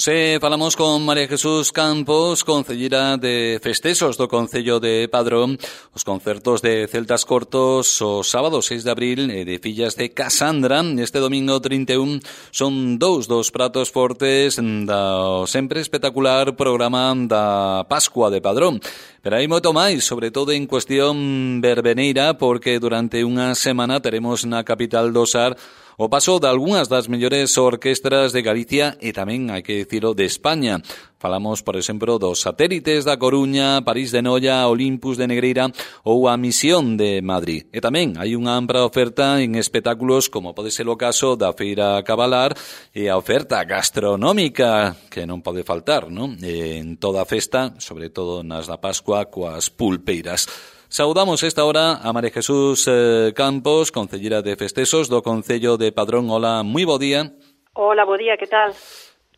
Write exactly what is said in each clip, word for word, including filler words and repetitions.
Hoxe falamos con María Jesús Campos, concelleira de festexos do Concello de Padrón, os concertos de Celtas Cortos o sábado seis de abril e de Fillas de Casandra. Este domingo trinta e un son dous dos pratos fortes do sempre espectacular programa da Pascua de Padrón. Pero hai moito máis, sobre todo en cuestión verbeneira, porque durante unha semana teremos na capital do Sar o paso de algunhas das mellores orquestras de Galicia e tamén, hai que dicilo, de España. Falamos, por exemplo, dos Satélites da Coruña, París de Noia, Olympus de Negreira ou a Misión de Madrid. E tamén hai unha ampla oferta en espectáculos como pode ser o caso da Feira Cabalar e a oferta gastronómica que non pode faltar, non? En toda a festa, sobre todo nas da Pascua, coas pulpeiras. Saudamos esta hora a María Jesús eh, Campos, concelleira de festexos do Concello de Padrón. Hola, moi bo día. Hola, bo día, que tal?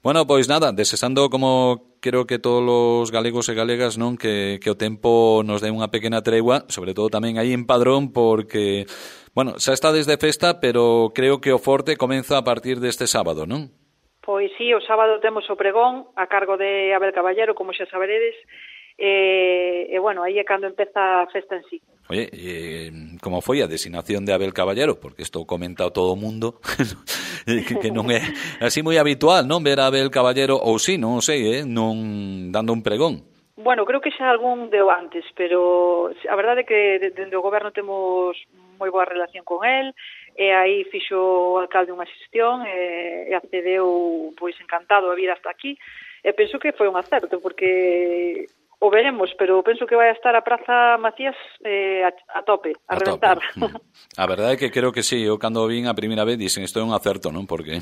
Bueno, pois nada, desexando como creo que todos os galegos e galegas, non, que, que o tempo nos dé unha pequena tregua, sobre todo tamén aí en Padrón, porque, bueno, xa está desde festa, pero creo que o forte comeza a partir deste sábado, non? Pois sí, o sábado temos o pregón a cargo de Abel Caballero, como xa saberedes, e, e bueno, aí é cando empeza a festa en sí. Oye, eh, como foi a designación de Abel Caballero? Porque isto comenta todo o mundo, que, que non é así moi habitual, non, ver a Abel Caballero, ou sí, non sei, eh, non dando un pregón. Bueno, creo que xa algún deu antes, pero a verdade é que dende o goberno temos moi boa relación con el, e aí fixo o alcalde unha xestión e, e accedeu pois encantado a vir hasta aquí, e penso que foi un acerto, porque o veremos, pero penso que vai a estar a Praza Macías eh, a, a tope, a, a reventar. Tope. A verdade é que creo que sí, eu cando vin a primeira vez dixen isto é un acerto, non? Porque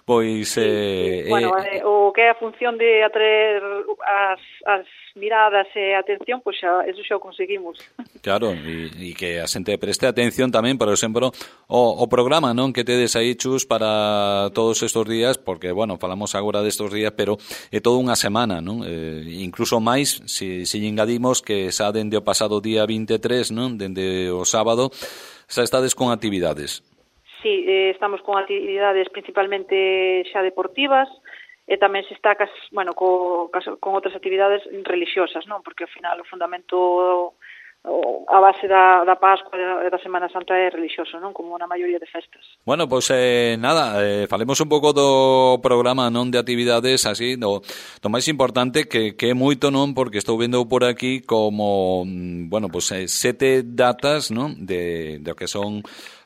pois sí, eh, sí. Bueno, eh, o que é a función de atraer as, as miradas e atención, pois xa, eso xa o conseguimos. Claro, e, e que a xente preste atención tamén, por exemplo, o, o programa, non, que tedes aí, Chus, para todos estes días, porque, bueno, falamos agora destes días, pero é toda unha semana, non? Eh, incluso máis se si, si engadimos que xa dende o pasado día vinte e tres, non, dende o sábado, xa estades con actividades. Sí, eh, estamos con actividades principalmente xa deportivas, e tamén se está, bueno, co, con outras actividades religiosas, non? Porque ao final o fundamento, a base da, da Pascua e da Semana Santa é religioso, non? Como na maioría de festas. Bueno, pois pues, eh, nada, eh, falemos un pouco do programa, non, de actividades, así, do, do máis importante que, que é moito, non, porque estou vendo por aquí como, bueno, pois pues, eh, sete datas, non, de, de o que son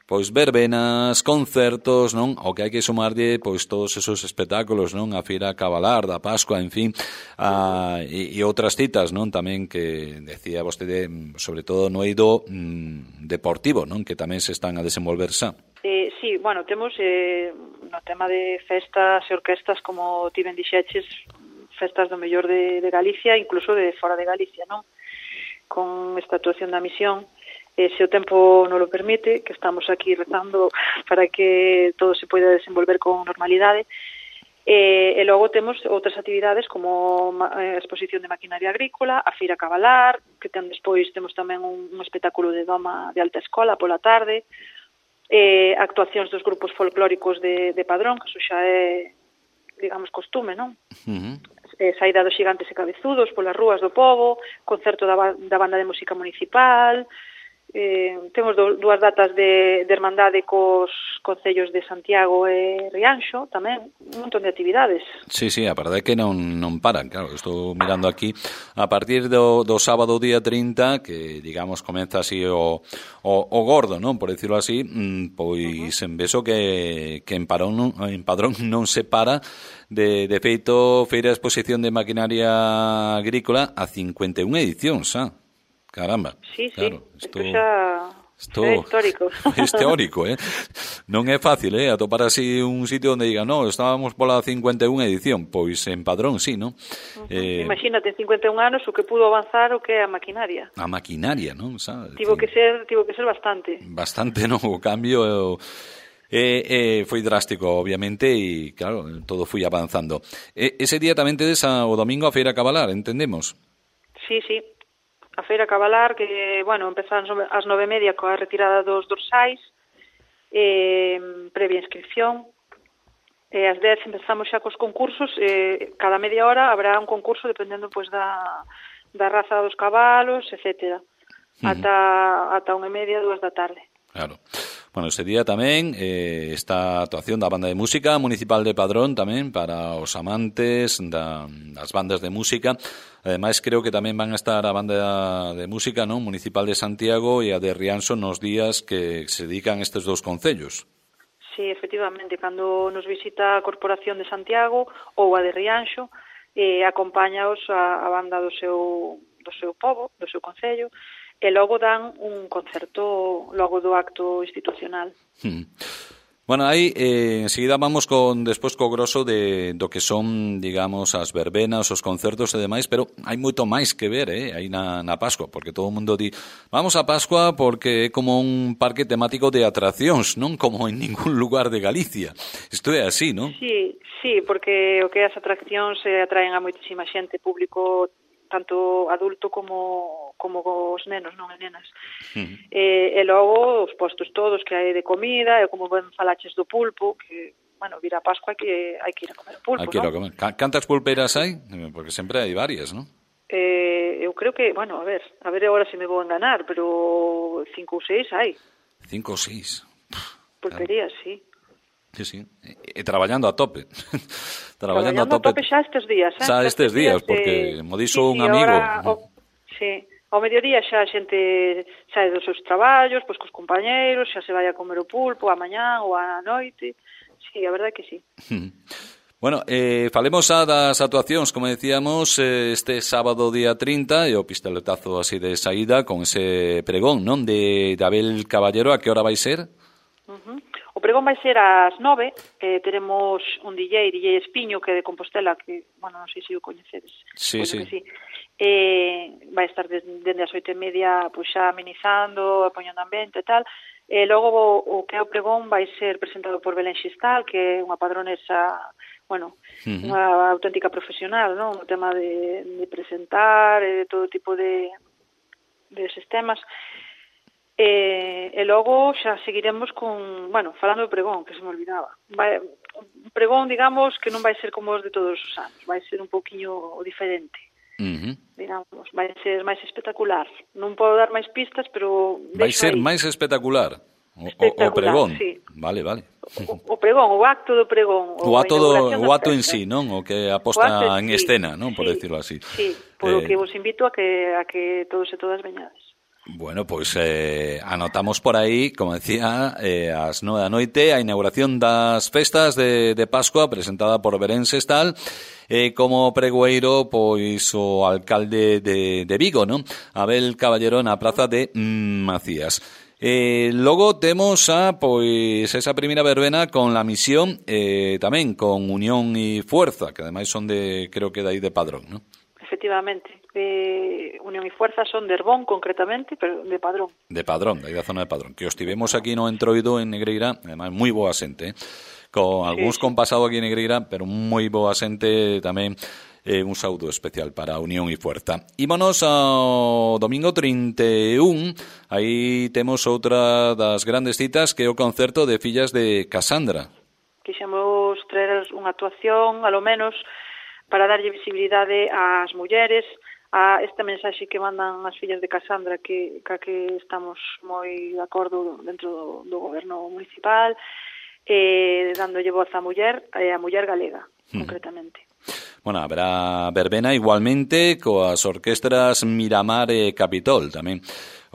pois verbenas, concertos, non? O que hai que sumarlle pois todos esos espectáculos, non? A Feira Cabalar, da Pascua, en fin, a, e, e outras citas, non? Tamén que decía vostede, sobre todo no eido mm, deportivo, non? Que tamén se están a desenvolver xa. Eh, sí, bueno, temos eh, no tema de festas e orquestas, como ti ben dixeches, festas do mellor de, de Galicia, incluso de fora de Galicia, non? Con esta actuación da Misión, e se o tempo non lo permite, que estamos aquí rezando para que todo se poida desenvolver con normalidade. E, e logo temos outras actividades como a exposición de maquinaria agrícola, a Feira Cabalar, que ten despois temos tamén un, un espectáculo de doma de alta escola pola tarde, e actuacións dos grupos folclóricos de, de Padrón, que eso xa é, digamos, costume, non? Uh-huh. Eh, saída dos Xigantes e Cabezudos polas rúas do pobo, concerto da, da banda de música municipal. Eh, temos do, dúas datas de, de hermandade cos concellos de Santiago e Rianxo, tamén un montón de actividades. Sí, sí, a verdade é que non, non paran, claro, estou mirando aquí a partir do, do sábado día trinta, que digamos comeza así o, o, o gordo, non, por decirlo así, pois uh-huh. en beso que, que en, Parón, en Padrón non se para. De, de feito, feira de exposición de maquinaria agrícola a cincuenta e unha edicións, xa. Caramba. Sí, claro, sí, isto xa Isto é histórico. É teórico, eh? Non é fácil, eh? Atopar así un sitio onde diga, no, estábamos pola cincuenta e unha edición, pois en Padrón, sí, non? Uh-huh. Eh... Imagínate, en cincuenta e un anos o que pudo avanzar o que é a maquinaria. A maquinaria, non? Xa, tivo que ser, tivo que ser bastante. Bastante, non? O cambio eh, eh, foi drástico, obviamente, e claro, todo foi avanzando. E, ese día tamén tedes a, o domingo a Feira Cabalar, entendemos? Sí, sí. A Feira Cabalar, que, bueno, empezamos ás nove e media coa retirada dos dorsais, eh, previa inscripción, E ás dez empezamos xa cos concursos, e cada media hora habrá un concurso dependendo pois da, da raza dos cabalos, etcétera. Uh-huh. Ata, ata unha e media, dúas da tarde. Claro. Bueno, ese día tamén eh, esta actuación da Banda de Música Municipal de Padrón tamén para os amantes da, das bandas de música. Ademais, creo que tamén van a estar a Banda de Música, non, Municipal de Santiago e a de Rianxo nos días que se dedican estes dous concellos. Sí, efectivamente, cando nos visita a Corporación de Santiago ou a de Rianxo, eh, acompáñaos a, a banda do seu, do seu pobo, do seu concello, e logo dan un concerto logo do acto institucional. Hmm. Bueno, aí eh, enseguida vamos con despois co grosso de do que son, digamos, as verbenas, os concertos e demais, pero hai moito máis que ver, eh, aí na, na Pascua, porque todo o mundo di, vamos a Pascua porque é como un parque temático de atraccións, non como en ningún lugar de Galicia. Isto é así, non? Sí, sí, porque o que as atraccións eh, atraen a moitísima xente, público tanto adulto como como os nenos, non e nenas. Uh-huh. E, e logo os postos todos que hai de comida, e como ben falaches do pulpo, que, bueno, vir a Pascua hai que, hai que ir a comer o pulpo, hai que ir a comer. Cantas pulpeiras hai? Porque sempre hai varias, non? Eh, eu creo que, bueno, a ver, a ver agora se me vou enganar, pero cinco ou seis hai. Cinco ou seis? Pulperías, claro. Sí. Sí, sí, e, e traballando a tope. traballando, traballando a tope. a tope xa estes días, eh? Xa estes días, porque eh, mo dixo sí, un amigo. Ahora, o, sí, ao mediodía xa a xente sae dos seus traballos, pois cos compañeiros, xa se vai a comer o pulpo a mañá ou a noite. Sí, a verdade que sí. Bueno, eh, falemos a das actuacións, como decíamos, eh, este sábado día trinta, e o pistoletazo así de saída con ese pregón, non? De, de Abel Caballero, a que hora vai ser? Uh-huh. O pregón vai ser ás nove, eh, teremos un D J, D J Espiño, que é de Compostela, que, bueno, non sei se o coñecedes. Sí, sí. sí. Eh, vai estar dende as oito e media, pois xa amenizando, apoñando ambiente e tal. E logo o, o que é o pregón vai ser presentado por Belén Xistal, que é unha padronesa, bueno, uh-huh. unha auténtica profesional, non? O tema de, de presentar, e de todo tipo de, de sistemas. E, e logo xa seguiremos con, bueno, falando do pregón, que se me olvidaba. Vai, un pregón, digamos, que non vai ser como os de todos os anos, vai ser un poquinho diferente. Uh-huh. Digamos, vai ser máis espectacular. Non podo dar máis pistas, pero vai ser aí. Máis espectacular. O, espectacular, o pregón. Sí. Vale, vale. O, o pregón, o acto do pregón, o acto do o acto en sí, non? O que aposta en sí, escena, non, por sí, decirlo así. Sí, por eh... que vos invito a que a que todos e todas veñades. Bueno, pois pues, eh, anotamos por aí, como decía, eh, ás nove da noite, a inauguración das festas de, de Pascua presentada por Belén Xistal, eh, como pregoeiro, pois, o alcalde de, de Vigo, non? Abel Caballero na praza de mm, Macías. Eh, logo temos a, pois, esa primeira verbena con La Misión, eh, tamén con Unión e Fuerza, que ademais son de, creo que de aí de Padrón, non? Efectivamente. Eh, Unión e Fuerza son de Herbón, concretamente, pero de Padrón. De Padrón, de aí da zona de Padrón. Que os tivemos aquí no Entroido, en Negreira, además moi boa xente, eh? Con algúns sí, sí. con pasado aquí en Negreira, pero moi boa xente tamén. Eh, un saúdo especial para Unión e Fuerza. Ímonos ao domingo trinta e un, aí temos outra das grandes citas, que é o concerto de Fillas de Casandra. Quixemos traer unha actuación, alo menos, para darlle visibilidade ás mulleres, a esta mensaxe que mandan as fillas de Casandra, que, que, que estamos moi de acordo dentro do, do goberno municipal, eh, dándolle voz á muller, e a muller galega, hmm. concretamente. Bueno, habrá verbena igualmente coas orquestras Miramar e Capitol tamén.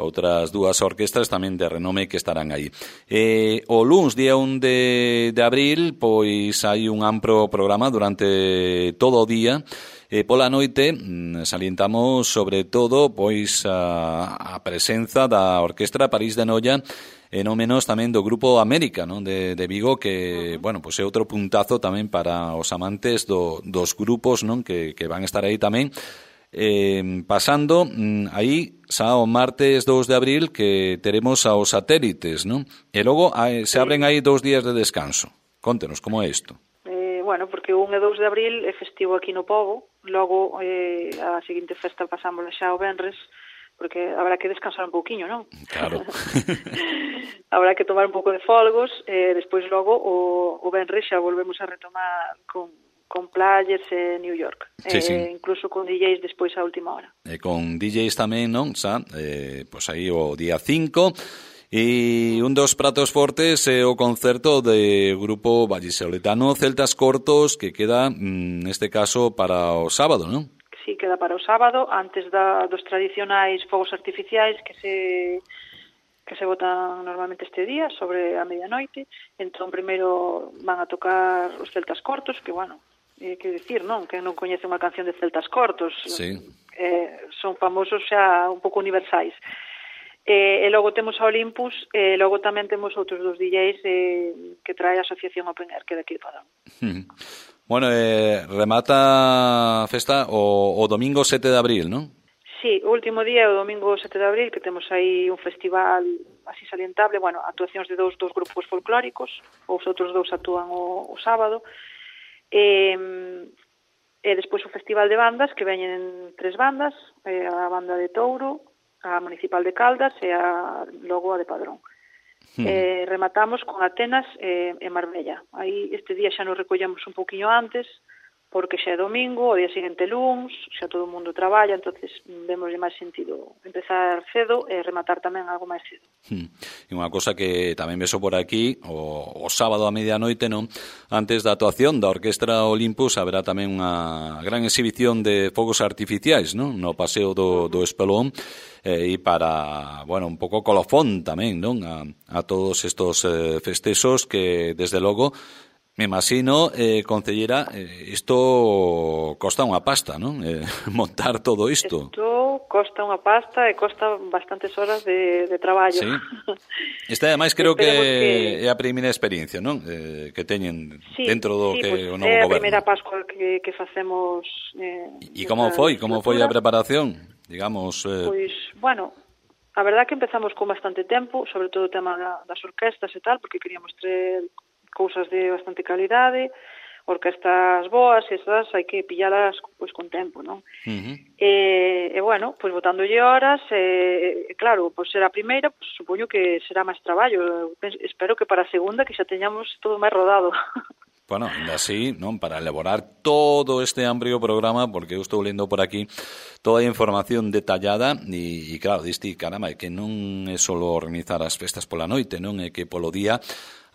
Outras dúas orquestras tamén de renome que estarán aí. Eh, o luns, día un de, de abril, pois hai un amplo programa durante todo o día. E pola noite salientamos sobre todo pois a, a presenza da Orquestra París de Noia, e non menos tamén do Grupo América, non, de, de Vigo, que, bueno, pois é outro puntazo tamén para os amantes do, dos grupos, non, que, que van estar aí tamén. Eh, pasando aí xa o martes dous de abril, que teremos aos satélites, non? E logo hai, se abren aí dous días de descanso. Contenos, como é isto? Eh, bueno, porque o un e dous de abril é festivo aquí no Pobo, logo eh, a seguinte festa pasámosla xa o venres, porque habrá que descansar un pouquiño, non? Claro. Habrá que tomar un pouco de folgos, e despois logo o, o venres xa volvemos a retomar con, con players en New York, sí, eh, sí. incluso con D Js despois a última hora. E con D Js tamén, non? Xa, eh, pois aí o día cinco. E un dos pratos fortes é o concerto de grupo vallisoletano Celtas Cortos, que queda, neste caso, para o sábado, non? Sí, queda para o sábado, antes da, dos tradicionais fogos artificiais que se que se botan normalmente este día, sobre a medianoite. Entón, primeiro van a tocar os Celtas Cortos, que, bueno, é que dicir, non? Que non coñece unha canción de Celtas Cortos. Sí. Eh, son famosos xa un pouco universais. E, e logo temos a Olympus, e logo tamén temos outros dos D Js eh, que trae a Asociación Open Air, que é daqui de Padrón. Uh-huh. Bueno, eh, remata a festa o, o domingo sete de abril, non? Sí, o último día é o domingo sete de abril, que temos aí un festival así salientable, bueno, actuacións de dous, dous grupos folclóricos, os outros dous actúan o, o sábado, e, e despois o festival de bandas, que veñen tres bandas, a banda de Touro, a Municipal de Caldas e a logo a de Padrón. Hmm. Eh, rematamos con Atenas e, e Marbella. Aí este día xa nos recollemos un pouquiño antes, porque xa é domingo, o día seguinte luns, xa todo o mundo traballa, entonces vemoslle máis sentido empezar cedo e rematar tamén algo máis cedo. Hmm. E unha cosa que tamén beso por aquí, o, o sábado a medianoite, non? Antes da actuación da Orquestra Olympus, haberá tamén unha gran exhibición de fogos artificiais, non? No paseo do, do Espelón, eh, e para, bueno, un pouco colofón tamén, non? A, a todos estos eh, festexos que, desde logo, me imagino, eh, concellera, eh, isto costa unha pasta, non? Eh, montar todo isto. Isto costa unha pasta e costa bastantes horas de, de traballo. Sí. Esta, ademais, creo que, que é a primeira experiencia, non? Eh, que teñen sí, dentro do sí, que pues, o novo goberno. É a goberno. primeira Pascua que, que facemos. Eh, e como foi? Como foi a preparación? Digamos... Eh... Pois, bueno... A verdad que empezamos con bastante tempo, sobre todo o tema das orquestas e tal, porque queríamos traer cousas de bastante calidade, orquestas boas, esas hai que pillalas pois con tempo, non? Uh-huh. E, e bueno, pois botándolle horas, e, e claro, pois será a primeira, pois supoño que será máis traballo. Espero que para a segunda que xa teñamos todo máis rodado. Bueno, ainda así, non, para elaborar todo este amplio programa, porque eu estou lendo por aquí toda a información detallada e, e claro, diste, caramba, é que non é só organizar as festas pola noite, non? É que polo día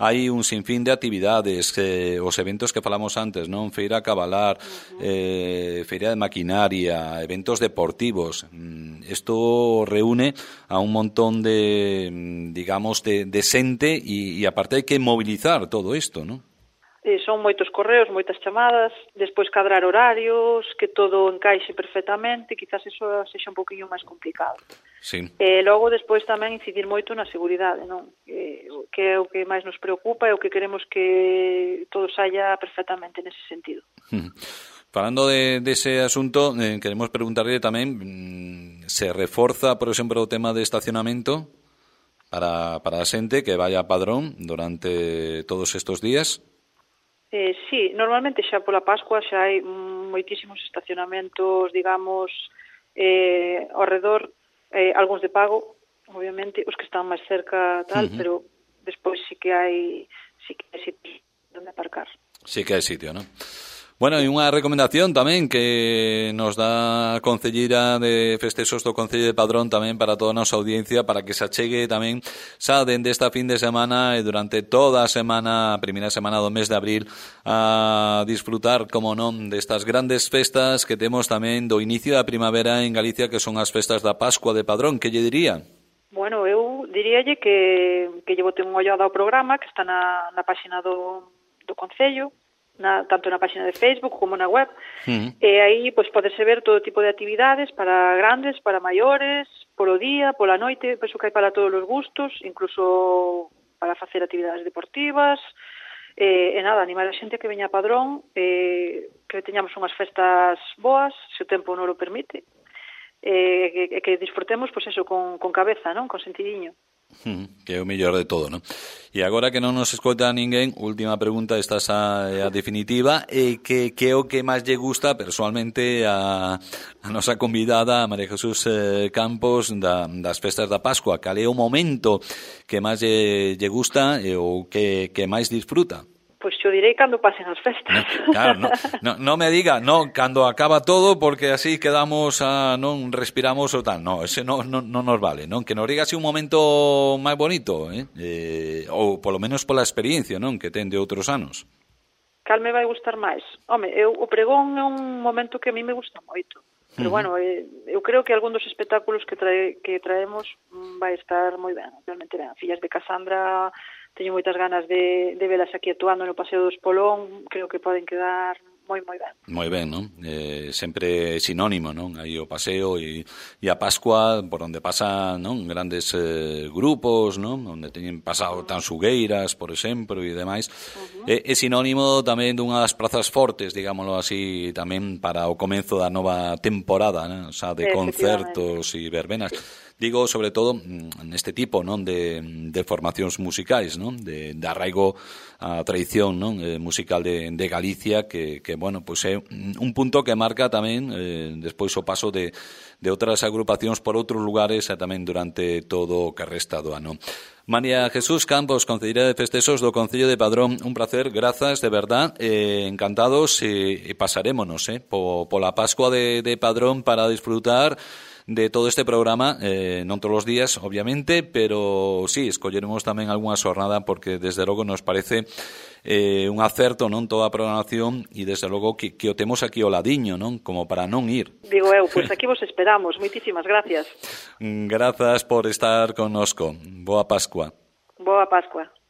hai un sinfín de actividades, eh, os eventos que falamos antes, non? Feira Cabalar, uh-huh. eh, feira de maquinaria, eventos deportivos. Isto reúne a un montón de, digamos, de, de xente e, e aparte hai que mobilizar todo isto, non? Eh, son moitos correos, moitas chamadas, despois cadrar horarios, que todo encaixe perfectamente, quizás eso sexa un poquinho máis complicado. Sí. E logo despois tamén incidir moito na seguridade, non? Eh, que é o que máis nos preocupa e o que queremos que todo saia perfectamente nese sentido. Falando de, de ese asunto, eh, queremos preguntarle tamén, mm, se reforza, por exemplo, o tema de estacionamento para, para a xente que vaya a Padrón durante todos estes días? Eh, sí, normalmente xa pola Pascua xa hai moitísimos estacionamentos, digamos, eh, ao redor, eh, algúns de pago, obviamente, os que están máis cerca tal, uh-huh. pero despois sí que hai sí que hai sitio onde aparcar. Sí que hai sitio, non? Bueno, e unha recomendación tamén que nos dá a Concelleira de Festexos do Concello de Padrón tamén para toda a nosa audiencia, para que se achegue tamén xa dende esta fin de semana e durante toda a semana, a primeira semana do mes de abril, a disfrutar, como non, destas grandes festas que temos tamén do inicio da primavera en Galicia, que son as festas da Pascua de Padrón. Que lle diría? Bueno, eu diríalle que, que lle bote un ollada ao programa, que está na, na páxina do, do Concello, Na, tanto na página de Facebook como na web, uh-huh. e aí pois podese ver todo tipo de actividades para grandes, para maiores, polo día, pola noite, penso que hai para todos os gustos, incluso para facer actividades deportivas, e, e nada, animar a xente que veña a Padrón, e que teñamos unhas festas boas, se o tempo non o permite, e que, e que disfrutemos, pois eso, con, con cabeza, non? Con sentidiño. Que é o mellor de todo, non? E agora que non nos escoita ninguén, última pregunta, esta xa é a definitiva, e que, que é o que máis lle gusta personalmente a, a nosa convidada, a María Jesús eh, Campos, da, das festas da Pascua? Cal é o momento que máis lle, lle gusta e o que, que máis disfruta? Pois xo direi cando pasen as festas. No, claro, no, no, no me diga, no, cando acaba todo, porque así quedamos, a, non respiramos o tal. No, ese no, no, no nos vale, non? Que nos diga así un momento máis bonito, eh? eh ou polo menos pola experiencia, non? Que ten de outros anos. Cal me vai gustar máis? Home, eu, o pregón é un momento que a mí me gusta moito. Pero, uh-huh. bueno, eh, eu creo que algún dos espectáculos que, trae, que traemos vai estar moi ben. Realmente ben. Fillas de Casandra, teño moitas ganas de, de velas aquí actuando no Paseo do Espolón, creo que poden quedar moi, moi ben. Moi ben, non? Eh, sempre sinónimo, non? Aí o paseo e, e a Pascua, por onde pasan, non? Grandes eh, grupos, non? Onde teñen pasado tan Sugueiras, por exemplo, e demais. Uh-huh. É, é sinónimo tamén dunha das prazas fortes, digámoslo así, tamén para o comenzo da nova temporada, non? O sea, de concertos e verbenas. Digo, sobre todo, neste tipo, non, de, de formacións musicais, non, de, de arraigo a tradición, non, eh, musical de, de Galicia, que, que, bueno, pois é un punto que marca tamén eh, despois o paso de, de outras agrupacións por outros lugares e tamén durante todo o que resta do ano. María Jesús Campos, concelleira de Festexos do Concello de Padrón, un placer, grazas, de verdad, eh, encantados, e, e pasarémonos, eh, po, pola Pascua de, de Padrón para disfrutar de todo este programa, eh, non todos os días, obviamente, pero sí, escolleremos tamén algunha xornada porque desde logo nos parece eh, un acerto, non, toda a programación e desde logo que, que o temos aquí ao ladiño, non, como para non ir. Digo eu, pois aquí vos esperamos. Moitísimas gracias. Grazas por estar connosco. Boa Pascua. Boa Pascua.